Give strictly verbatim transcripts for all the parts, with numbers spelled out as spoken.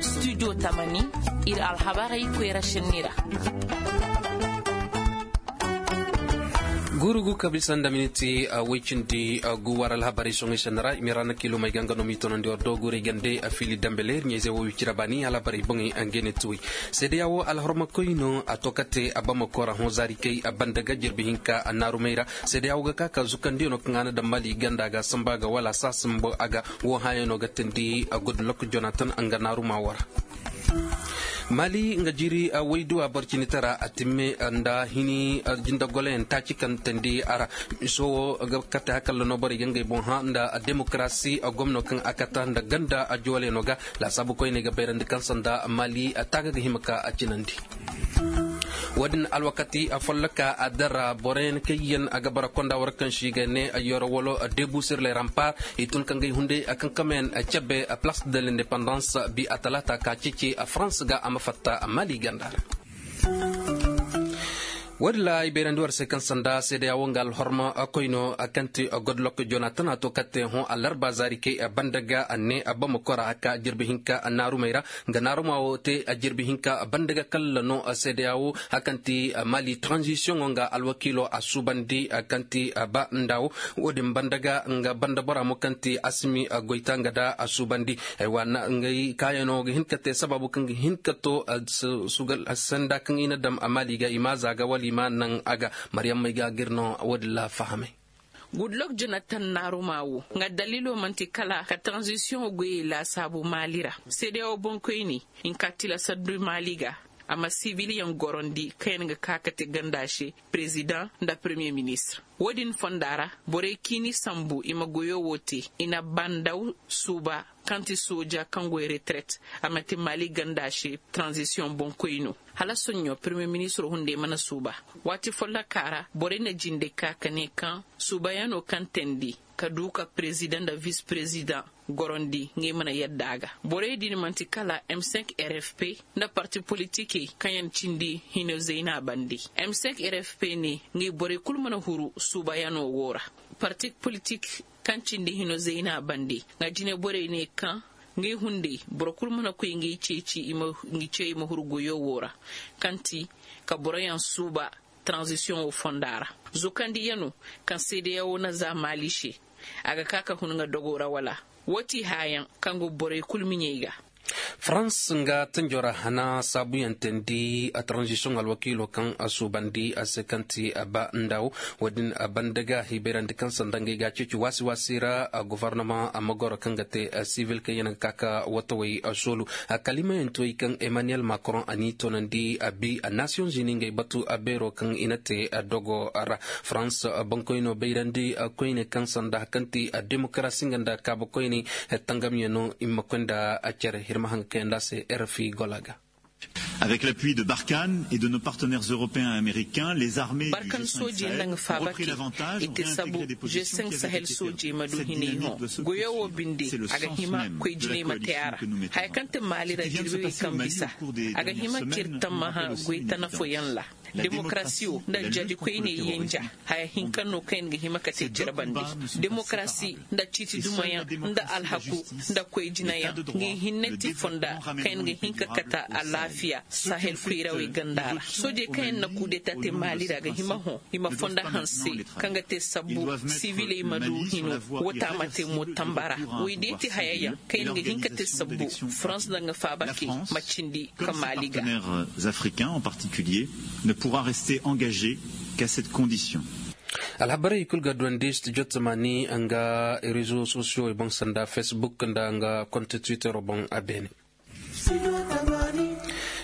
Studio tamani, ir alhabarey koyra šenni ra. Gurugu ka bisa nda miniti woy cindi gu war alhabarey soŋey šenni ra i ma i ra na kiilumey ga nga no m'i tonandi war doogurey gande a fiili dambe leer ɲayzey wo wicira baani alhabarey boŋey. Ngey ne tuwey seedeya wo alhorma koy no a to kate a bamako ra hõ zaari kay a banda ga jirbi hinka a naarumey ra. Seedeya wo ga ka ka zukandiyo no kaŋ a na daŋ mali ganda ga samba ga wala saasamba a ga wo hãyaŋ no ga teendi a gudlok jonatan nga naaruma wo ra. Mali nga jiiri wayduwa boro cini tara a timme nda hini jindagoloyaŋ taaci kaŋ teendi a ra. Miso wo ga kate hakalla no borey ga ngey boŋ hã nda demokarasi gomno kaŋ a kata nda ganda a joole no ga. Laasaabu koyney ga bayrandi kaŋ sanda mali taaga ga hima ka a cinandi. Wo-din alwakati folloka a dara boroyaŋ kaŋ yaŋ a ga bara konda war kaŋ si ga ne yoro walo debu sir le rampar i tun ka ngey hunday kankamayaŋ cabe place de l'indépendance bi a talaata ka ceeci farans ga a ma fatta mali ganda ra. Wo-din ra ay bayrandi war se kaŋ sanda seedeya wo nga alhorma koyno kaŋ ti godlok jonatan a to kaŋ te hõ alarba zaari kay banda ga a ne bamako ra a ka jirbi hinka naarumey ra. Nga naaruma wo te a jirbi hinka banda ga kalla no seedeya wo a kaŋ ti mali tranzisiyoŋo nga alwakiilo a suubandi kaŋ ti ba nda wo. Wo-din banda ga nga banda bora mo kaŋ ti asimi goyta nga da a suubandi. Ay wa na ngey kaayano ga hin ka te sabaabu kaŋ ga hin ka to sanda kaŋ i na daŋ a maali ga i ma a za ga wala i ma a naŋ a ga. Maryammey ga gir no wo-din ra fahamay. Gudlok jonatan naaruma wo nga daliilo man'ti kala ka taranzisiyoŋo goyey laasaabu maali ra. Seedeya wo boŋkoyni hinka tilasandi maali ga a ma sibiliyaŋ gorandi kaŋ yaŋ ga ka ka te ganda se perezidaŋ nda peremiye ministir. Wo-din fonda ra borey ciini sambu i ma goyo wo te i na bandaw suuba kaŋ ti sooja kaŋ goy retereet. A ma te maali ganda se taranzisiyoŋ boŋkoy no hala soɲɲo peremiye ministiro hunday mana suuba. Waati folloka ra borey na jinde ka ka ne kaŋ suubayaŋo kaŋ teendi ka du ka perezidaŋ nda vis perezidaŋ gorondi ngey mana yadda a ga. Borey din man'ti kala m cinq r f p nda parti politikey kaŋ yaŋ cindi hino zayna bande. M cinq r f p ne ngey borey kul mana huru suubayaŋo wo ra. Parti politik kaŋ cindi hino zayna bande nga jine borey ne kaŋ ngey hunday boro kul mana koy ngey ceeci i ma huru goyo wo ra kaŋ ti ka boroyaŋ suuba taranzisiyoŋo fonda ra. Zukandiyano kaŋ seedeya wo na za maali se a ga ka ka hun nga dogo ra wala? Wo ti haayaŋ kaŋ go borey kul miɲey ga. Farans nga tanjo ra hana saabuyaŋ teendi a taranzisiyoŋ alwakiilo kaŋ a suubandi a se kaŋ ti a ba nda wo. Wo-din a banda ga hibayrandi kaŋ sanda ngey ga a ceeci waasi-waasi ra. Gofornama a ma goro kaŋ ga te sibil kaŋ yaŋ ga ka ka watawey soolu. Kalimayaŋ ti wey kaŋ emmanuel macron a n'i toonandi a bi a nasiyoŋ zini ngey batu a beero kaŋ i na te dogo ra. Farans bankoyno bayrandi koyne kaŋ sanda kaŋ ti demokarasi nga nda kaaba koyne tangamyaŋ no i ma koy nda a cere hirma haŋ ga kayandi a se. Rfi gola ga. Avec l'appui de barkhane et de nos partenaires européens et américains les armées barkan soojey nda nga faaba te i te sabu g cinq sahel soojey ma du hinay hõ. Goyo wo binde a ga hima koy jinay ma te a ra. Haya kaŋ te maali ra jirbi wey kaŋ bisa a ga hima k'ir tammaha goy tana fooyaŋ ra. Demokarasiyo nda jaadikoyney yenja haya hinka no kaŋ yaŋ ga hima ka te cere bande. Demokarasi nda ciiti dumayaŋ nda alhaku nda koy jinayaŋ ngey hinne ti fonda kaŋ yaŋ ga hin ka kata alaafiya sahel koyrawey ganda ra. Soojey kaŋ yaŋ na kudeta te maali ra ga hima hõ i ma fonda hanse kaŋ ga te sabbu siviley ma du hino. Wata ma te mo tamba ra. Woy day ti hayayaŋ kaŋ yaŋ ga hin ka te sabbu farans nda nga faaba ke ma cindi ka maali ga. Africains en particulier ne pourra rester engagé qu'à cette condition. Alhabarey kul ga duwandi studio tamani nga rezo sosiyo boŋ sanda facebook nda nga konte twittero boŋ a beene.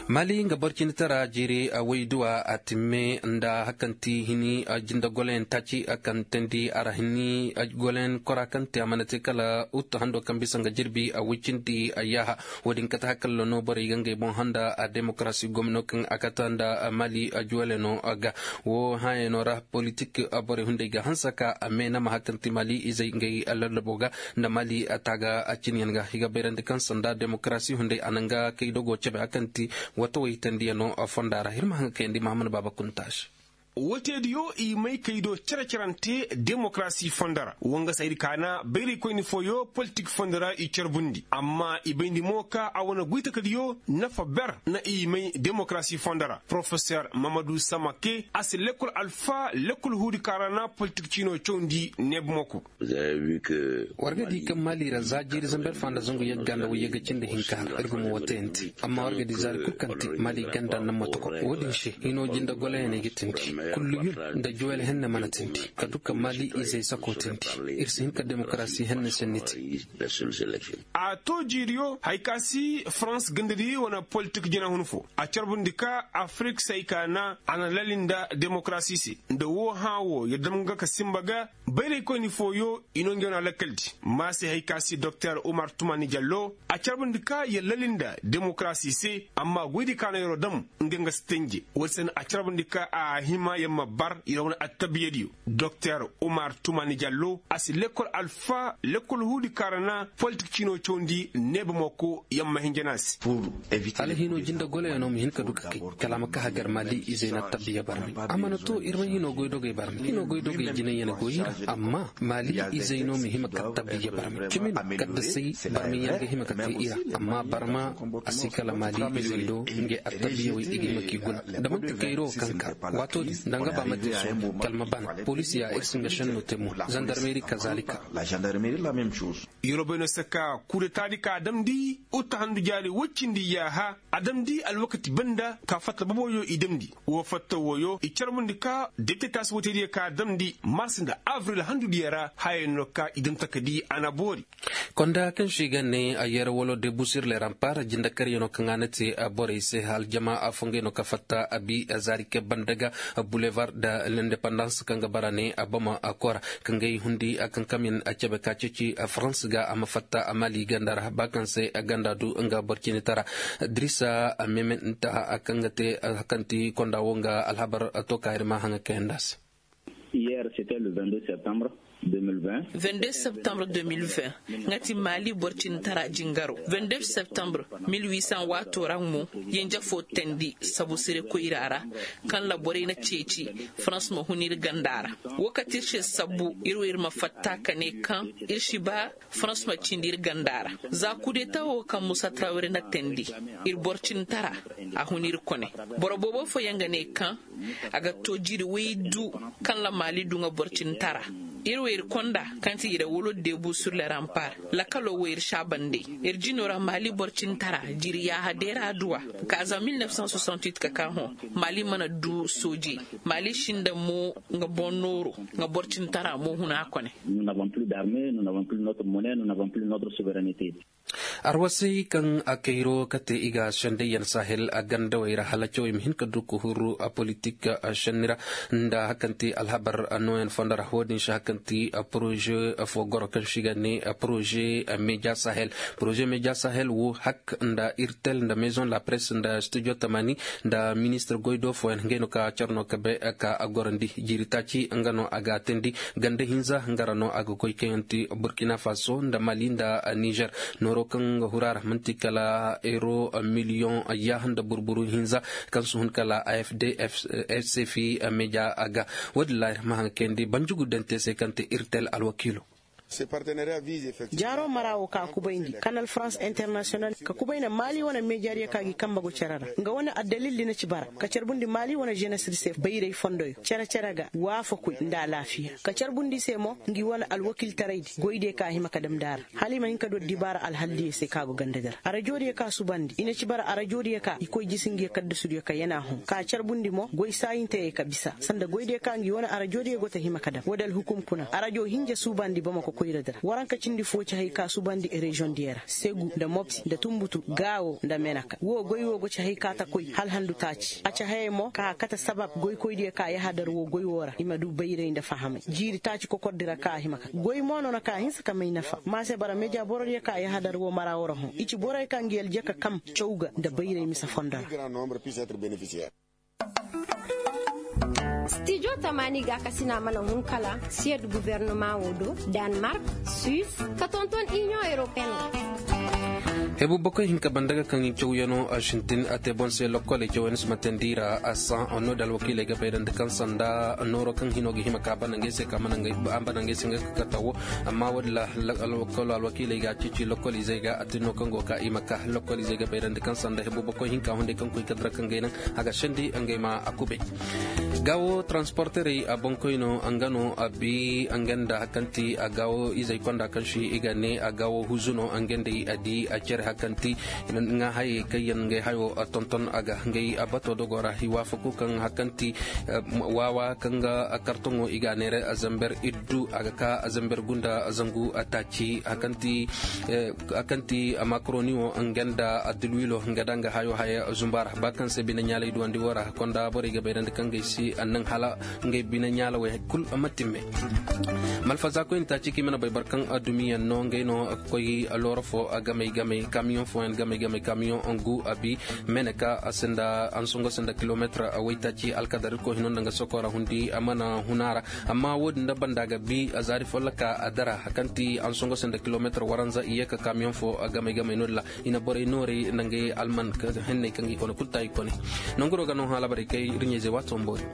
Mali nga borcinitara jiiri a woy duwa a timme nda hakanti hini a jinde goloyaŋ taaci a kaŋ teendi a ra hini goloyaŋ kora kaŋ te a mana te kala ut hando kaŋ bisa nga jirbi a woy cindi a yaaha. Wo-din kate hakalla no borey ga ngey boŋ handa a demokarasi gomno kaŋ a kata nda mali a juwale no ga. Wo hãyano ra politik borey hunday ga hanse ka a meenama hakanti mali izey ngey lallabo ga nda mali a taaga a cinyaŋ ga i ga bayrandi kaŋ sanda demokarasi hunday a na nga kay dogo cabe hakanti watawey tendiyano fonda ra hirma haŋ kayandi mahamad baaba kunta se. Woo teediyo i may kay do cere-cerante demokarasi fondo ra. Woo nga se ay di kaana bayraykoyni fooyo politik fondo ra i carbundi amma i bayndi mo ka a wane goytakadiyo nafa ber na i may demokarasi fondo ra porofeser mamadu samake a si lekkol alfa lekkol huudi kaŋ ra na politik ciino cawndi neeba moko. War ga di kaŋ maali ra za jiiri zamber fa nda zangu yagga nda wayyagga cindi hinka har ir ga ma woo tayandi. Amma war ga di zaari kul kaŋ te maali ganda naŋ ma toko. Woo din se hino jinde golayaney ga tindi, kulluyun nda juwel henne mana tindi, ka du ka maali izey sako tindi. Ir si hin ka demokarasi henne senni te. A to jiiriyo hari ka si farans gandadi wane politik jinahun fo a carbundi ka afirik se ay ka na a na lali nda demokarasi se. Nda woo hã woo yer dam ga ka sinba ga bayraykoyni fooyo i no ngey no a lakkal di. Ma se hari ka si doktor umar tumani jallo a carbundi ka yer lali nda demokarasi se amma goydi ka no yeroo dam nga nga si tenje. Woodi se no a carbundi ka a hima yer ma bar yer wane attabiyadiyo. Doktor umar tumani jallo a si lekkol alfa lekkol huudi kaŋ ra na politik ciinoo cawndi neeba moko yer ma hinja no a se. Hala hinoo jinde goloyanoo ma hin ka du ka kay kala a ma ka hagar maali izey na attabbiya barmi a mana to ir ma hinoo goydogey barmi hinoo goydogey jinay yer goy i ra. Amma maali izey no ma hima ka attabbiya barmi cimi no kaddasey barmi yer ga hima ka te i ra. Amma barma a si kala maali izey do ngey attabiyawey i ga hima k'i guna. Da man'ti kayra woo kaŋ ka waatoo din nda nga ba ma te soobu kala ma bana poliisiyaa ir si nga šennoo te mo. Zandarmeeri kazaalika. Yeroo bay no se ka kudetaadi ka a damndi uta handu jaari woy cindi yaaha a damndi alwakati banda ka fatta boboyo i damndi. Woo fatta wooyo i carbundi ka depitetaasi woytaydiyo ka a damndi mars nda abril handudiyo ra hayey no ka i daŋ takadi a na boori. Konda kaŋ se i ga ne a yer walo de busir le rampar jindakaryanoo kaŋ a na te borey se aljama fongey no ka fatta a bi zaari kay banda ga bulevar da lendepandans kaŋ ga bara ne a bama a kora kaŋ ga i hundi a kaŋ kamyan a cebe ka ceeci farans ga a ma fatta a maali ganda ra ba kaŋ se a ganda du nga boro cindi tara. Dirisa a meme nta a kaŋ ga te a kaŋ ti konda wo nga alhabar to ka ir ma haŋa kayanda se. Hier c'était le vingt-deux septembre deux mille vingt. Vingt-deux septembre deux mille vingt nga ti maali boro cindi tara jingaro. Vingt-deux septembre mille huit cent waatoo ra mo yanja foo teendi sabu sire koyra ra kaŋ ra borey na ceeci farans ma hun ir ganda ra. Woo kate ir se sabu ir wo ir ma fatta ka ne kaŋ ir si ba farans ma cindi ir ganda ra. Za kudeta woo kaŋ musa trawre na teendi ir boro cindi tara a hun ir kone. Boro boobo fooyaŋ ga ne kaŋ a ga to jiri woy du kaŋ ra maali du nga boro cindi tara. Ir wo ir konda kaŋ ti ire wolo debu sur le rampar. Lakaloo wo ir saabandey ir jinoo ra maali boro cindi tara jiri yaaha deera adduwa. Ka za mille neuf cent soixante-huit ka ka hõ maali mana du soojey. Maali sinda mo nga boŋ nooro nga boro cindi tara mo huna kone. Nous n'avons plus d'armée, nous n'avons plus notre monnaie, nous n'avons plus notre souveraineté. Arwasay kaŋ a kayro kate i ga sendayyaŋ sahel a gandawey ra hala cawey ma hin ka du ka huru a politik a senni ra nda hakanti alhabar nooyaŋ fondo ra wo-din se hakanti a poroze fo goro kaŋ se i ga ne a poroze media sahel. Poroze media sahel wo hak nda irtel nda maison la presse nda studio tamani nda ministir goy do fooyaŋ ngey no ka car no ka be ka a gorandi jiiri taaci nga no a ga a teendi ganda hinza nga ra no a ga goy kaŋ yaŋ ti burkina faso nda mali nda nizer. Nooro kaŋ nga huru a ra man'ti kala euro miliyoŋ yaaha nda burburu hinza kaŋ si hun kala afd fcfi media a ga. Wo-din ra ir ma haŋ kayandi banjugu dante se kaŋ te irtel alwakiilo. Jaaro mara wo ka kubayndi kanal farans internasiyonal ka kubayna maali wane meejaadiyo ka gi kambe go cere ra nga wane addalildi na ci bara ka carbundi maali wane ženesri se bayray fondoyo cere-cere ga waafakoy nda alaafiya ka carbundi i se mo ngi wane alwakiltaraydi goydiyo ka a hima ka damndi a ra hala i ma hin ka du addibaara alhaldiyo se ka go gandadi ra arajoodiyo ka subandi i na ci bara arajoodiyo ka i koy jisi ngiyo kaddasudiyo ka yana hõ ka carbundi mo goy saayinteyey ka bisa sanda goydiyo ka ngi wane arajoodiyo go ta hima ka dam woodi alhukum kuna arajo hinja suubandi bamako koyradi ra waranka cindi fo ci hay ka suubandi reziyoŋdiyo ra segu nda mopti nda tunbutu gaawo nda menaka wo goy wo go ci hay ka ta koy hala handu taaci a ci hayey mo ka kate sabab goykoydiyo ka yahadar wo goy wo ra i ma du bayray nda fahamay jiiri taaci kokordi ra ka a hima ka goy mo no na ka hinsa ka may nafa ma se bara meja borodiyo ka yahadar wo mara wo ra hõ i ci borey ka ngi aljaka kam caw ga nda bayray mise fondo ra. Stijo tamaani gaakasina mana hun kala siyed gubernama wo do, danmark, suis, ka tonton inion europeen ra. Ay bumbo koy hinka banda ga kaŋ cawyanoo a sintin a te boŋ se lokkoley cawyanoo si ma teendi i ra a saa. No da alwakiiley ga bayrandi kaŋ sanda nooroo kaŋ hinoo ga hima ka a bana ngey se ka a bana ngey se nga ka kata woo. Amma woo din ra alwakiiley ga a ceeci lokkoliizey ga a te no kaŋ go ka i ma ka lokkoliizey ga bayrandi kaŋ sanda ay bumbo koy hinka hunday kaŋ koy ka dira kaŋ gay naŋ a ga sendi ngey ma a kubay. Gaawo taransporterey a boŋkoy no nga no a bi nga nda hari kaŋ ti a gaawo izey konda kaŋ si i ga ne a gaawo huzu no nga nd'ey a di a cere hari kaŋ ti nga hayey kaŋ yaŋ ngey hayo a tonton a ga ngey a bato dogo ra i waafaku kaŋ hari kaŋ ti waawa kaŋ ga kartoŋo i ga a neera a zamber iddu a ga ka a zamber gunda zangu a taaci hari kaŋ ti a makaroni wo nga nda a dilwilo nga da nga hayo haya zumba ra ba kaŋ se bine ɲaalay duwandi wo ra konda borey ga bayrandi kaŋ gay si a naŋ hala ngey bine ɲaalawey kul ma timme. Malfaza koyne taaci kaŋ i mana bay boro kaŋ a dumi yaŋ no ngey no a ga koy looro fo a gamey gamey kamiyoŋ fooyaŋ gamey gamey kamiyoŋ ngu a bi mene ka a sinda ansongo sinda kilometir a waytaaci alkadar irkoy hino nda nga sokora hundi a mana huna ra. Amma wo-din da banda ga bi a zaari folloka a dara hari kaŋ ti ansongo se nda kilometir waranza i ye ka kamiyoŋ fo a gamey gamey no-din ra i na borey nooray nda ngey alman henney kaŋ ga i kone kulu taayi kone. Nanguro ga no hã labarey kay ir ɲayzey waato ma boori.